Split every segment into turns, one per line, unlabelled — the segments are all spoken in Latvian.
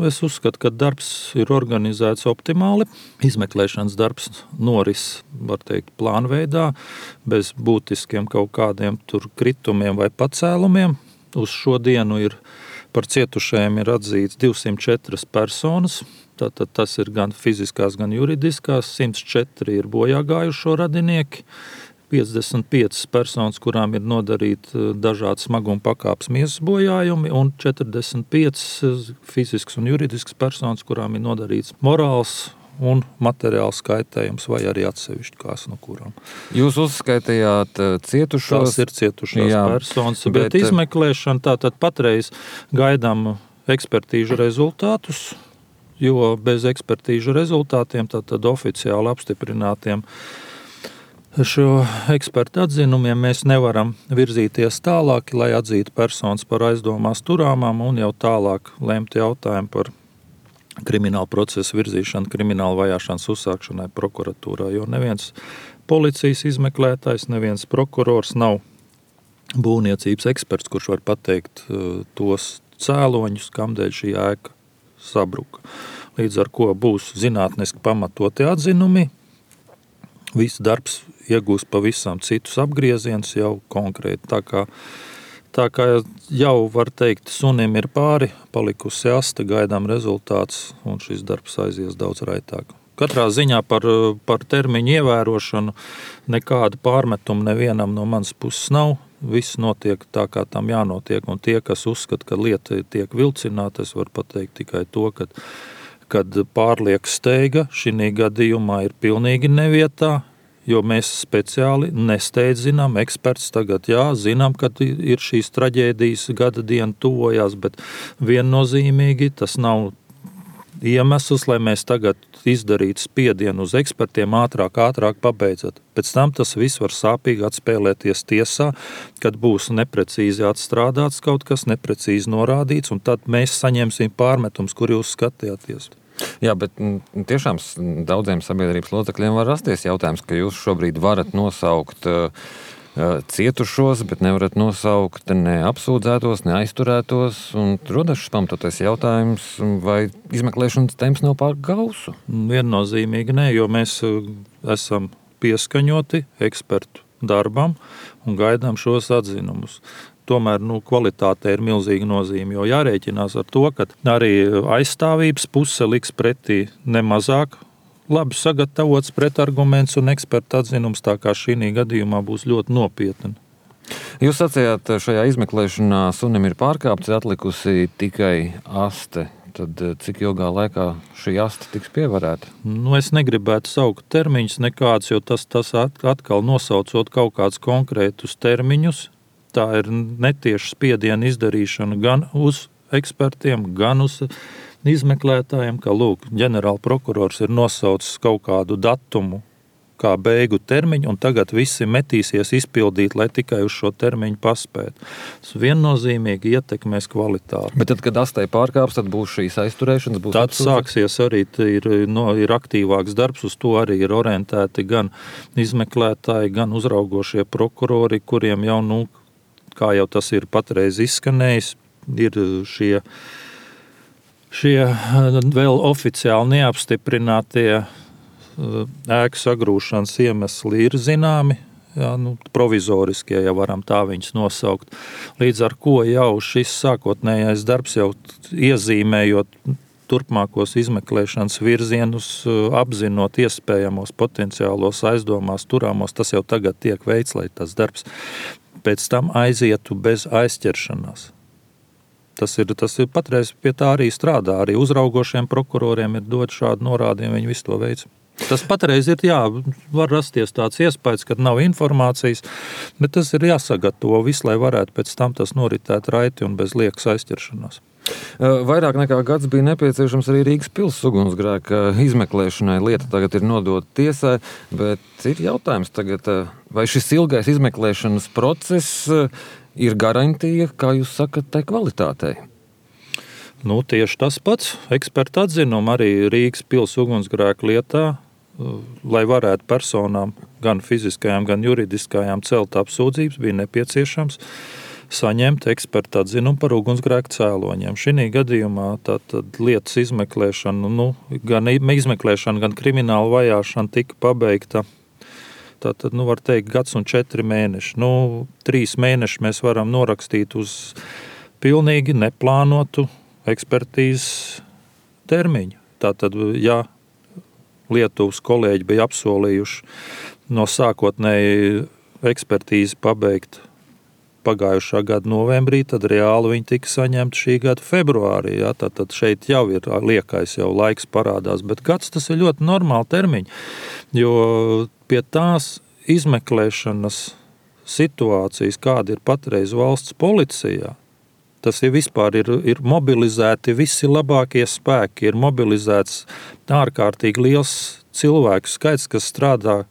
Es uzskatu, ka darbs ir organizēts optimāli. Izmeklēšanas darbs noris, var teikt, plānveidā, bez būtiskiem kaut kādiem tur kritumiem vai pacēlumiem. Uz šo dienu par cietušajiem ir atzīts 204 personas. Tātad tas ir gan fiziskās, gan juridiskās. 104 ir bojāgājušo radinieki. 55 personas, kurām ir nodarīti dažādi smaguma pakāpes miesas bojājumi, un 45 fizisks un juridisks personas, kurām ir nodarīts morāls un materiāls kaitējums, vai arī atsevišķi kās no kurām.
Jūs uzskaitījāt cietušos?
Tas ir cietušās personas, bet izmeklēšana tātad patreiz gaidām ekspertīžu rezultātus, jo bez ekspertīžu rezultātiem tātad oficiāli apstiprinātiem šo ekspertu atzinumiem mēs nevaram virzīties tālāk, lai atzītu personas par aizdomās turāmām un jau tālāk lemt jautājumu par kriminālu procesu virzīšanu, kriminālu vajāšanas uzsākšanai prokuratūrā, jo neviens policijas izmeklētājs, neviens prokurors nav būvniecības eksperts, kurš var pateikt tos cēloņus, kamdēļ šī ēka sabruka. Līdz ar ko būs zinātniski pamatoti atzinumi, viss darbs iegūs pavisam citus apgriezienus jau konkrēti. Tā kā jau var teikt, sunim ir pāri, palikusi aste, gaidām rezultāts, un šis darbs aizies daudz raitāk. Katrā ziņā par termiņu ievērošanu nekāda pārmetuma nevienam no manas puses nav. Viss notiek tā, kā tam jānotiek, un tie, kas uzskata, ka lieta tiek vilcināta, es varu pateikt tikai to, kad pārlieka steiga šī gadījumā ir pilnīgi nevietā, jo mēs speciāli nesteidzinām, eksperts tagad zinām, ka ir šīs traģēdijas gada diena tuvojās, bet viennozīmīgi tas nav iemesls, lai mēs tagad izdarītu spiedienu uz ekspertiem ātrāk pabeidzot. Pēc tam tas viss var sāpīgi atspēlēties tiesā, kad būs neprecīzi atstrādāts kaut kas, neprecīzi norādīts, un tad mēs saņemsim pārmetums, kur jūs skatījāties.
Jā, bet tiešām daudziem sabiedrības locekļiem var rasties jautājums, ka jūs šobrīd varat nosaukt cietušos, bet nevarat nosaukt ne apsūdzētos, ne aizturētos, un rodas šis pamatotais jautājums, vai izmeklēšanas temps nav pārāk gausu?
Viennozīmīgi nē, jo mēs esam pieskaņoti ekspertu darbam un gaidām šos atzinumus. Tomēr kvalitāte ir milzīga nozīme, jo jārēķinās ar to, ka arī aizstāvības puse liks pretī nemazāk labi sagatavots pretarguments un eksperta atzinums, tā kā šī gadījumā būs ļoti nopietni.
Jūs sacījāt, šajā izmeklēšanā sunim ir pārkāpts, atlikusi tikai aste. Tad cik ilgā laikā šī aste tiks pievarēta?
Es negribētu saukt termiņus nekādus, jo tas atkal nosaucot kaut kādus konkrētus termiņus. Tā ir netieša spiediena izdarīšana gan uz ekspertiem, gan uz izmeklētājiem, ka ģenerāla prokurors ir nosaucis kaut kādu datumu kā beigu termiņu, un tagad visi metīsies izpildīt, lai tikai uz šo termiņu paspētu. Tas viennozīmīgi ietekmēs kvalitāti.
Bet tad, kad astei pārkāps, tad būs šīs aizturēšanas?
Tad sāksies arī, ir aktīvāks darbs, uz to arī ir orientēti gan izmeklētāji, gan uzraugošie prokurori, kuriem jau, kā jau tas ir patreiz izskanējis, ir šie vēl oficiāli neapstiprinātie ēku sagrūšanas iemesli ir zināmi, provizoriskie, ja varam tā viņus nosaukt. Līdz ar ko jau šis sākotnējais darbs jau iezīmējot turpmākos izmeklēšanas virzienus, apzinot iespējamos potenciālos aizdomās turāmos, tas jau tagad tiek veikts, lai tas darbs pēc tam aizietu bez aizķeršanās. Tas ir patreiz pie tā arī strādā. Arī uzraugošiem prokuroriem ir dot šādu norādījumu, viņi visu to veic. Tas patreiz ir, var rasties tāds iespējas, ka nav informācijas, bet tas ir jāsagatavo viss, lai varētu pēc tam tas noritēt raiti un bez liekas aizķeršanās.
Vairāk nekā gads bija nepieciešams arī Rīgas pils ugunsgrēka izmeklēšanai. Lieta tagad ir nodota tiesai, bet ir jautājums tagad, vai šis ilgais izmeklēšanas process ir garantija, kā jūs sakat, tai kvalitātei?
Tieši tas pats. Eksperta atzinuma arī Rīgas pils ugunsgrēka lietā, lai varētu personām, gan fiziskajām, gan juridiskajām, celt apsūdzības, bija nepieciešams saņemt eksperta atzinumu par ugunsgrēku cēloņiem. Šī gadījumā tātad lietas izmeklēšana, gan izmeklēšana, gan krimināla vajāšana tika pabeigta. Tātad, var teikt, gads un 4 mēneši. 3 mēneši mēs varam norakstīt uz pilnīgi neplānotu ekspertīzes termiņu. Tātad, ja Lietuvas kolēģi bija apsolījuši no sākotnēji ekspertīzi pabeigt pagājušā gada novembrī, tad reāli viņi tika saņemti šī gada februārī. Ja? Tātad šeit jau ir liekais, jau laiks parādās, bet gads tas ir ļoti normāli termiņi, jo pie tās izmeklēšanas situācijas, kāda ir patreiz valsts policijā, tas ir vispār ir mobilizēti visi labākie spēki, ir mobilizēts ārkārtīgi liels cilvēku skaits, kas strādāja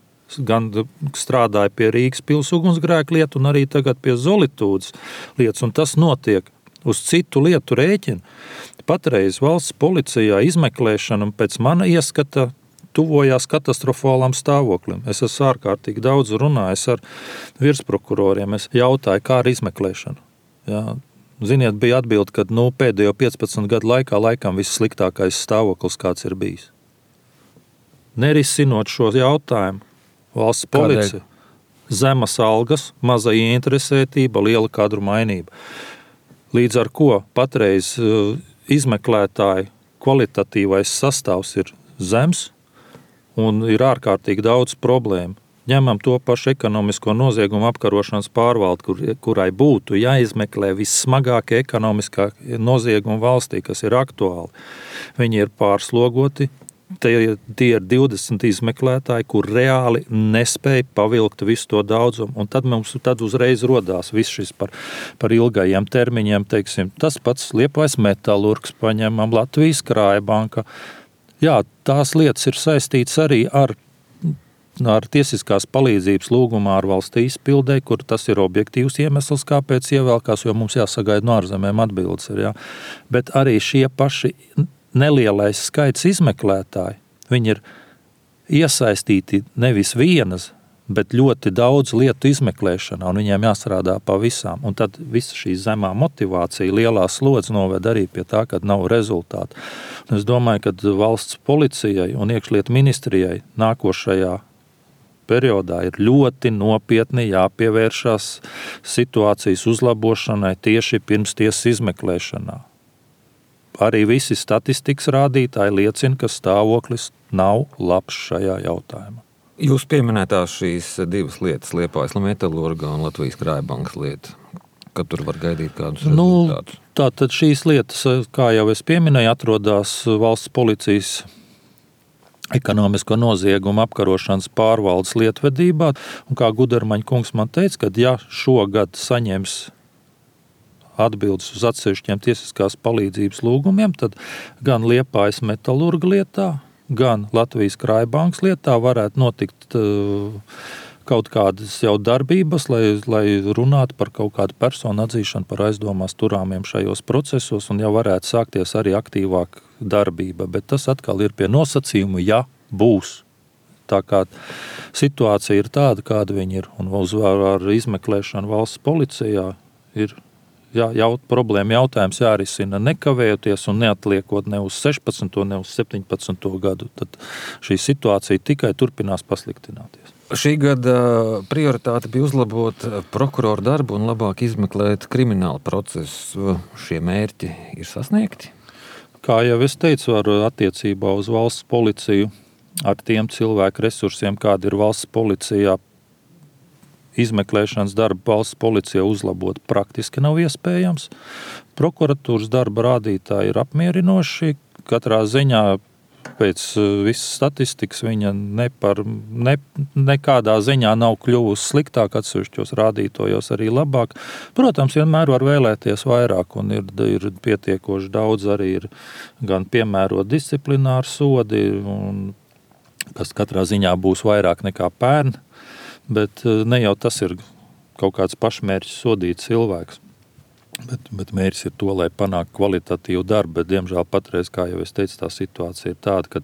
pie Rīgas pils ugunsgrēku lietu un arī tagad pie Zolitūdas lietas, un tas notiek uz citu lietu rēķinu. Patreiz valsts policijā izmeklēšana pēc mana ieskata tuvojās katastrofālam stāvoklim. Es esmu ārkārtīgi daudz runājis ar virsprokuroriem. Es jautāju, kā ar izmeklēšanu. Jā. Ziniet, bija atbilde, ka pēdējo 15 gadu laikā laikam vissliktākais stāvoklis, kāds ir bijis. Nerisinot šo jautājumu, valsts policija, zemas algas, maza ieinteresētība, liela kadru mainība. Līdz ar ko patreiz izmeklētāju kvalitatīvais sastāvs ir zems un ir ārkārtīgi daudz problēmu. Ņemam to pašu ekonomisko noziegumu apkarošanas pārvaldi, kurai būtu jāizmeklē vissmagākie ekonomiskā nozieguma valstī, kas ir aktuāli. Viņi ir pārslogoti, tie ir 20 izmeklētāji, kur reāli nespēja pavilkt visu to daudzumu, un tad uzreiz rodās viss šis par ilgajiem termiņiem, teiksim, tas pats Liepājas metalurgs paņemam, Latvijas Krājbanka. Jā, tās lietas ir saistītas arī ar tiesiskās palīdzības lūgumu ārvalstu izpildē, kur tas ir objektīvs iemesls, kāpēc ievēlkās, jo mums jāsagaida no ārzemēm atbildes. Jā. Bet arī šie paši nelielais skaits izmeklētāji, viņi ir iesaistīti nevis vienas, bet ļoti daudz lietu izmeklēšanā, un viņiem jāstrādā pa visām. Un tad visa šī zemā motivācija, lielā slodze noved arī pie tā, ka nav rezultātu. Un es domāju, ka valsts policijai un iekšlietu ministrijai nākošajā periodā ir ļoti nopietni jāpievēršās situācijas uzlabošanai tieši pirms tiesas izmeklēšanā. Arī visi statistikas rādītāji liecina, ka stāvoklis nav labs šajā jautājumā.
Jūs pieminētās šīs divas lietas, Liepājas metalurga un Latvijas Krājbankas lieta. Kad tur var gaidīt kādus rezultātus?
Tātad šīs lietas, kā jau es pieminēju, atrodas valsts policijas ekonomisko noziegumu apkarošanas pārvaldes lietvedībā. Un kā Gudermaņa kungs man teica, ka ja šogad saņems atbildes uz atsevišķiem tiesiskās palīdzības lūgumiem, tad gan Liepājas metalurga lietā, gan Latvijas Krājbankas lietā varētu notikt kaut kādas jau darbības, lai runātu par kaut kādu personu atzīšanu par aizdomās turāmiem šajos procesos, un jau varētu sākties arī aktīvāk darbība. Bet tas atkal ir pie nosacījuma, ja būs. Tā kā situācija ir tāda, kāda viņa ir, un ar izmeklēšanu valsts policijā ir problēma jautājums jārisina nekavējoties un neatliekot ne uz 16. ne uz 17. gadu. Tad šī situācija tikai turpinās pasliktināties.
Šī gada prioritāte bija uzlabot prokuroru darbu un labāk izmeklēt kriminālu procesu. Šie mērķi ir sasniegti?
Kā jau es teicu, attiecībā uz valsts policiju ar tiem cilvēku resursiem, kādi ir valsts policijā, izmeklēšanas darbu valsts policijā uzlabot praktiski nav iespējams. Prokuratūras darba rādītāji ir apmierinoši. Katrā ziņā pēc visas statistikas viņa nekādā ziņā nav kļuvusi sliktāk, atsevišķos rādītājos arī labāk. Protams, vienmēr var vēlēties vairāk, un ir pietiekoši daudz arī ir gan piemērot disciplināru sodi, kas katrā ziņā būs vairāk nekā pērn. Bet ne jau tas ir kaut kāds pašmērķis sodīt cilvēks. Bet mērķis ir to, lai panāktu kvalitatīvu darbu. Bet, diemžēl, patreiz, kā jau es teicu, tā situācija ir tāda,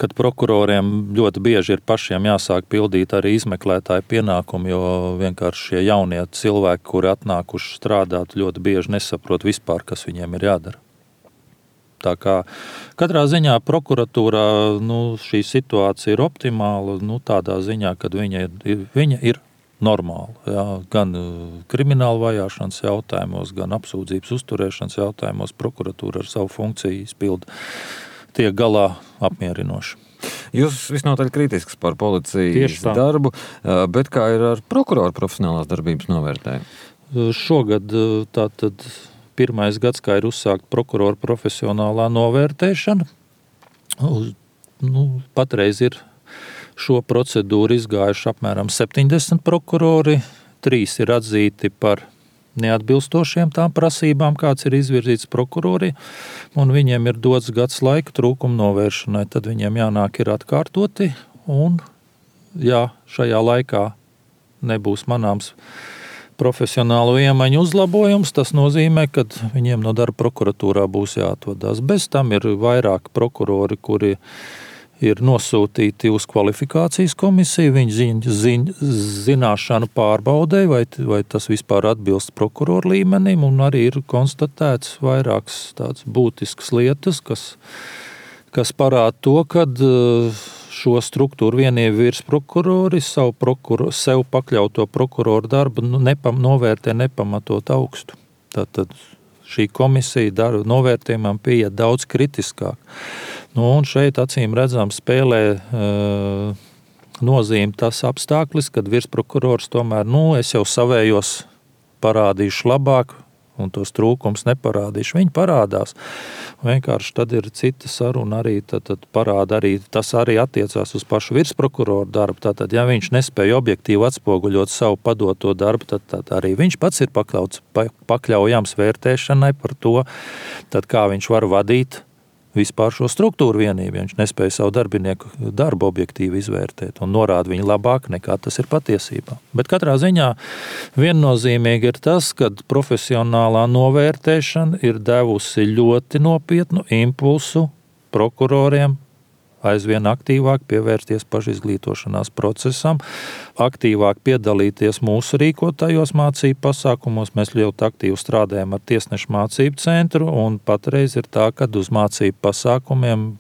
kad prokuroriem ļoti bieži ir pašiem jāsāk pildīt arī izmeklētāju pienākumu, jo vienkārši šie jaunie cilvēki, kuri atnākuši strādāt, ļoti bieži nesaprot vispār, kas viņiem ir jādara. Tā kā katrā ziņā prokuratūrā šī situācija ir optimāla, tādā ziņā, kad viņa ir normāla. Jā, gan krimināla vajāšanas jautājumos, gan apsūdzības uzturēšanas jautājumos prokuratūra ar savu funkciju izpilda tiek galā apmierinoši.
Jūs visnotaļ kritisks par policijas darbu, bet kā ir ar prokuroru profesionālās darbības novērtējumu?
Šogad tātad pirmais gads, kā ir uzsākt prokuroru profesionālā novērtēšana. Patreiz ir šo procedūru izgājuši apmēram 70 prokurori, 3 ir atzīti par neatbilstošiem tām prasībām, kāds ir izvirzīts prokurori, un viņiem ir dots gads laika trūkuma novēršanai. Tad viņiem jānāk ir atkārtoti, un ja šajā laikā nebūs manāms profesionālu iemaņu uzlabojums, tas nozīmē, ka viņiem no darba prokuratūrā būs jāatvadās. Bez tam ir vairāk prokurori, kuri ir nosūtīti uz kvalifikācijas komisiju, viņu zināšanu pārbaudē, vai tas vispār atbilst prokuroru līmenim, un arī ir konstatēts vairākas tādas būtiskas lietas, kas parāda to, ka šo struktūru vienību virsprokurori sev pakļauto prokuroru darbu novērtē nepamatot augstu. Tātad šī komisija novērtējumam pieiet daudz kritiskāk. Un šeit acīm redzam spēlē nozīme tas apstākļis, kad virsprokurors tomēr, es jau savējos parādīšu labāk, un tos trūkums neparādīšu. Viņi parādās. Vienkārši tad ir cita saruna arī, tad parāda arī, tas arī attiecās uz pašu virsprokuroru darbu. Tātad, ja viņš nespēja objektīvi atspoguļot savu padoto darbu, tad arī viņš pats ir pakļaujams vērtēšanai par to, tad kā viņš var vadīt vispār šo struktūru vienību, ja viņš nespēja savu darbinieku darbu objektīvi izvērtēt un norāda viņu labāk nekā tas ir patiesībā. Bet katrā ziņā viennozīmīgi ir tas, ka profesionālā novērtēšana ir devusi ļoti nopietnu impulsu prokuroriem aizvien aktīvāk pievērsties pašizglītošanās procesam, aktīvāk piedalīties mūsu rīkotajos mācību pasākumos. Mēs ļoti aktīvi strādājam ar tiesnešu mācību centru, un patreiz ir tā, ka uz mācību pasākumiem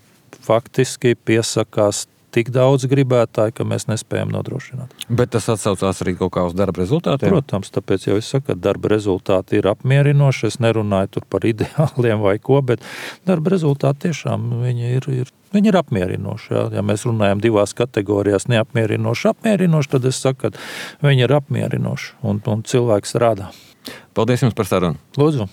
faktiski piesakās tik daudz gribētāji, ka mēs nespējam nodrošināt.
Bet tas atsaucās arī kaut kā uz darba rezultātiem?
Protams, tāpēc jau es saku, ka darba rezultāti ir apmierinoši. Es nerunāju tur par ideāliem vai ko, bet darba rezultāti tiešām viņi ir apmierinoši. Jā. Ja mēs runājam divās kategorijās neapmierinoši, apmierinoši, tad es saku, ka viņi ir apmierinoši un cilvēks strādā.
Paldies jums par sarunu.
Lūdzu.